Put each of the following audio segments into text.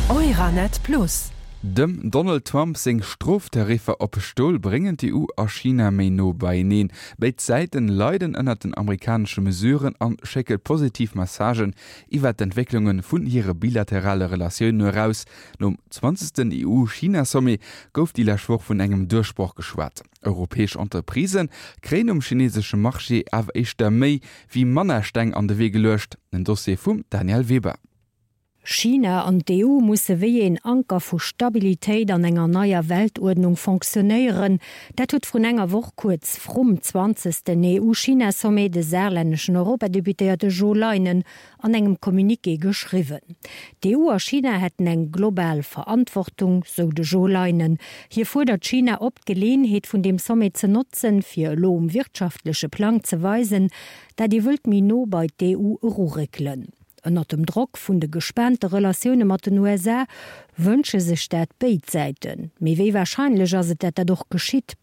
Euranet Plus. Dem Donald Trump seng Stroftariffer op Stol bréngen d'EU a China méi no beieneen. Béid Säiten leiden ënnert den amerikanesche Mesuren an schécke positiv Messagen iwwer d'Entwécklunge vun hire bilaterale Relatiounen eraus. Nom zwanzegsten EU-China-Sommet gouf déi lescht Woch vun engem Duerchbroch geschwat. Europäesch Entreprisë kréien um chinesesche Marché awer éischter méi wéi manner Steng an de Wee geluecht. En Dossier vum Danièle Weber. China an d'EU musse wéi een Anker vu Stabilitéit an enger neier Weltuerdnung fonctionnéieren. Dat huet vrun enger Woch, kuerz vrum zwanzegsten EU-China-Sommet, de saarlänneschen Europadeputéierte Jo Leinen an engem Communiqué geschriwwen. D'EU a China hätten eng global Verantwortung, sou de Jo Leinen. Hie fuerdert China op, d'Geleeënheet vun deem Sommet ze notzen, fir elo um wirtschaftleche Plang ze weisen, dat ee wëllt méi no bei d'EU eruréckelen. Ënnert dem Drock vun de gespaante Relatioune mat den USA wënsche sech dat béid Säiten. Mee wéi warscheinlech ass et, dat dat och geschitt?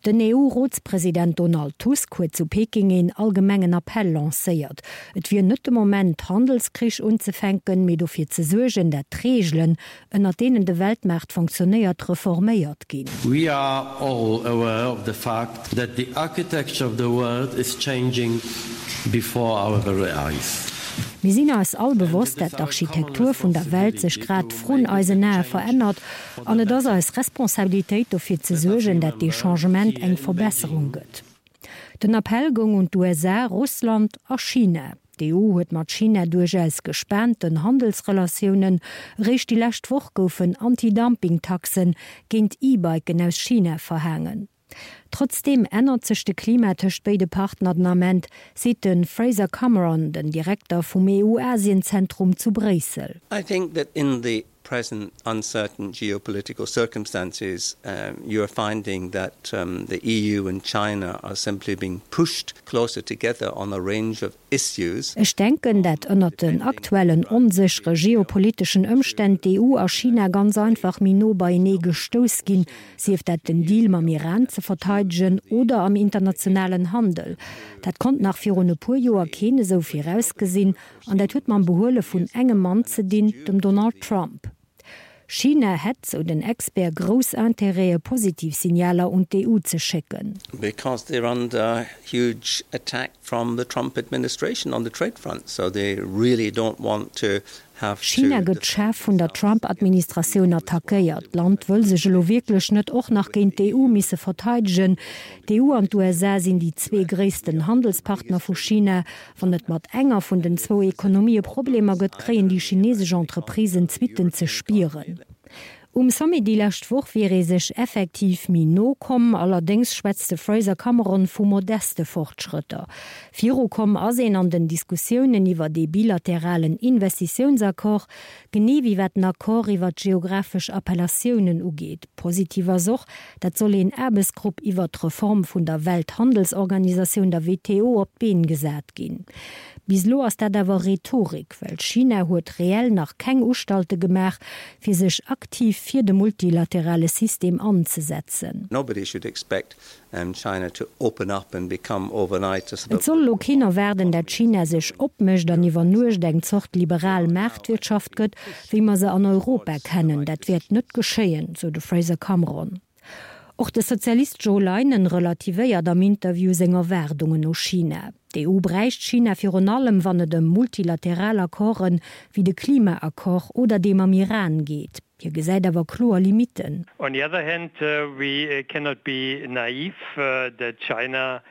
Den EU-Rotspresident Donald Tusk huet zu Peking een allgemengen Appell lancéiert. Et wier net de Moment, Handelskrich unzefänken, mee dofir ze suergen, dat d'Reegelen, ënnert deenen de Weltmaart fonctionnéiert, reforméiert ginn. We are all aware of the fact that the architecture of the world is changing before our very eyes. Mir sinn eis all bewosst, dat d'Architektur vun der Welt sech grad vrun eisen Ae verännert An et ass eis Responsabilitéit dofir ze suergen, dat dee Changement eng Verbesserung gëtt. Den Appell goung un d'USA, Russland a China. D'EU huet mat China duerchaus gespaanten Handelsrelatiounen. Eréischt déi lescht Woch goufen Anti-Dumping-Taxe géint E-Biken aus China verhaangen. Trotzdeem ännert sech de Klima tëscht béide Partner den Ament, seet de Fraser Cameron, den Direkter vum EU-Asien-Zentrum zu Bréissel. I think that in the present uncertain geopolitical circumstances you are finding that the EU and China are simply being pushed closer together on a range of issues. Ech denken, dat ënnert den aktuellen onséchere geopoliteschen Ëmstänn d'EU a China ganz einfach méi no beienee gestouss ginn, sief dat den Deal mam Iran ze verteidegen oder am internationalen Handel. Dat konnt nach virun e puer Joer keen esou virausgesinn an dat huet mam Behuele vun engem Mann ze dinn, dem Donald Trump. China hätt, sou den Expert, grouss Intérêtë positiv Signaler un d'EU ze schécken. Because they're under huge attack from the Trump administration on the trade front, so they really don't want to China gëtt schaarf vun der Trump-Administratioun attackéiert. D'Land wëll sech elo wierklech net och nach géint d'EU misse verteidegen. D'EU an d'USA sinn déi zwee gréissten Handelspartner vu China. Wann et mat enger vun den zwou Ekonomië Problemer gëtt, kréien déi chinesesch Entreprisen d'Suitten ze spieren. Um Sommet déi lescht Woch wier ee sech effektiv méi no komm, allerdéngs schwätzt de Fraser Cameron vu modeste Fortschrëtter. Virukomm ass een an den Diskussiounen iwwert ee bilateralen Investitiounsaccord, genee wéi wat den Accord iwwert d'geographesch Appellatiounen ugeet. Positiv ass och, dat soll een Aarbechtsgrupp iwwert d'Reform vun der Welthandelsorganisatioun, der WTO, op d'Been gesat ginn. Bis elo ass dat awer Rhetorik, well China huet reell nach keng Ustalte gemaach, fir sech aktiv fir de multilaterale System anzesetzen. Nobody should expect China to open up and become overnight a sort of. Et soll elo keen erwaarden, dat China sech opmécht an iwwer Nuecht eng Zort liberal Maartwirtschaft gëtt, wéi mer se an Europa kennen. Dat wäert net geschéien, sou de Fraser Cameron. Och de Sozialist Jo Leinen relativéiert am Interview seng Erwaardungen u China. D'EU bräicht China virun allem, wann et ëm multilateral Accorden, wéi de Klimaaccord oder dee mam Iran geet. Hie gesäit awer kloer Limitten. On the other hand, we cannot be naive that China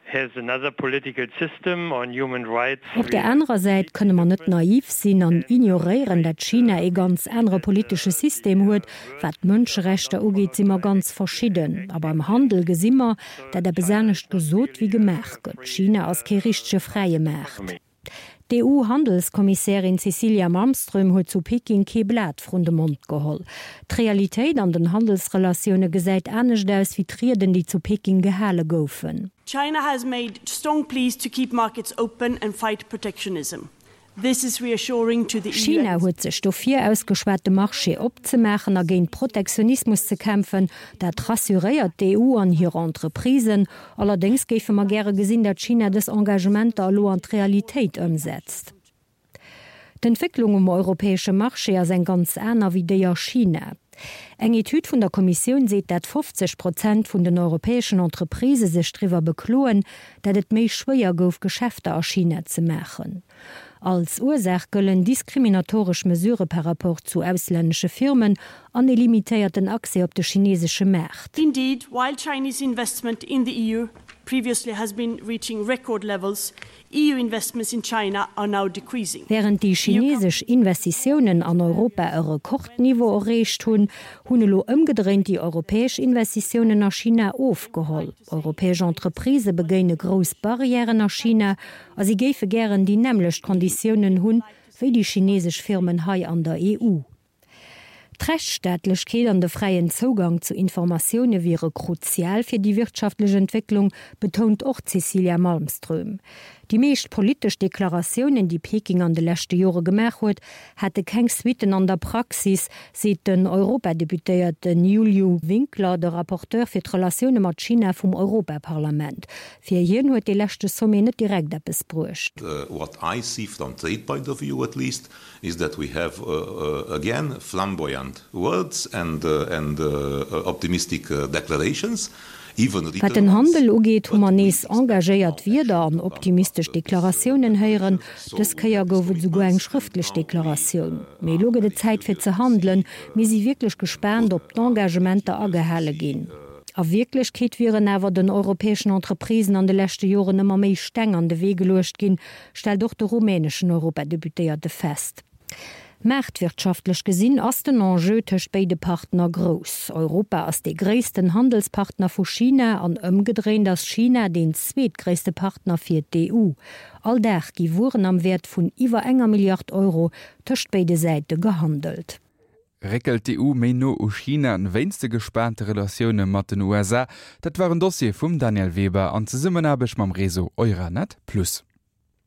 has another political system on human rights. Op där anerer Säit kënne mer net naiv sinn an ignoréieren, dat China ee ganz anere politesche System huet. Wat d'Mënscherechter ugeet, si mer ganz verschidden. A beim Handel gesi mer, dat eppes anescht gesot wéi gemaach gëtt. China ass kee richtege fräie Maart. D'EU-Handelskommissärin Cecilia Malmström huet zu Peking kee Blat vrun de Mond geholl. D'Realitéit an den Handelsrelatioune gesäit anescht aus wéi d'Rieden, déi zu Peking gehale goufen. China has made strong pleas to keep markets open and fight protectionism. This is reassuring to the EU and its. China huet sech dofir ausgeschwat, de Marché opzemaachen a géint Protektionismus ze kämpfen. Dat rassuréiert d'EU an hir Entreprisen. Allerdéngs géife mer gäre gesinn, datt China dës Engagementer elo an d'Realitéit ëmsetzt. D'Entwécklung um europäesche Marché ass eng ganz aner wéi déi a China. Eng Etüd vun der Kommissioun seet, dat 50 Prozent vun den europäeschen Entreprisë sech driwwer bekloen, dat et méi schwéier gouf, Geschäfter a China ze maachen. Als Ursaach gëllen diskriminatoresch Mesurë par rapport zu auslännesche Firmen an e limitéierten Accès op de chinesesche Maart. Indeed, while Chinese investment in the EU previously has been reaching record levels, EU investments in China are now decreasing. Wärend déi chinesesch Investitiounen an Europa e Rekordniveau erreecht hunn, hunn elo ëmgedréint déi europäesch Investitiounen a China ofgeholl. Europäesch Entreprisë begéine grouss Barrièren a China a si géife gären déi nämmlecht Konditiounen hunn, wéi déi chinesesch Firmen hei an der EU. D'Rechtsstaatlechkeet an de fräien Zougang zu Informatioune wiere kruzial fir déi wirtschaftlech Entwécklung, betount och d'Cecilia Malmström. Déi meescht politesch Deklaratiounen, déi Peking an de leschte Jore gemaach huet, hätte keng Suitten an der Praxis, seet den Europadeputéierte Iuliu Winkler, de Rapporteur fir d'Relatioune mat China vum Europaparlament. Fir hien huet dee leschte Sommet net direkt eppes bruecht. What I see from trade point of view at least, is that we have again flamboyant words and and optimistic declarations, even Wat written den ones, Handel ugeet, hu but mer we nees expect engagéiert now Wierder action an to come optimistesch after this Deklaratiounen héieren. commitments. So Dës we Kéier have these gouf et esouguer eng commitments and schrëftlech now we Deklaratioun. Mee are elo gëtt very et Zäit fir curious ze to handelen. see Mir si wierklech and gespaant, ob are very d'Engagementer curious to agehale see ginn. A Wierklechkeet wieren awer den europäeschen Entreprisen an de leschte Joren ëmmer méi Steng an de Wee geluecht ginn, stellt och de rumäneschen Europadeputéierte fest. Maartwirtschaftlech gesinn ass den Enjeu tëscht béide Partner grouss. Europa ass dee gréissten Handelspartner vu China an ëmgedréint ass China deen zweetgréisste Partner fir d'EU. All Dag gi Wueren am Wäert vun iwwer enger Milliard Euro tëscht béide Säite gehandelt. Réckelt d'EU méi no u China wéinst de gespaante Relatioune mat den USA? Dat war en Dossier vum Danièle Weber an Zesummenaarbecht mam Réseau Euranet Plus.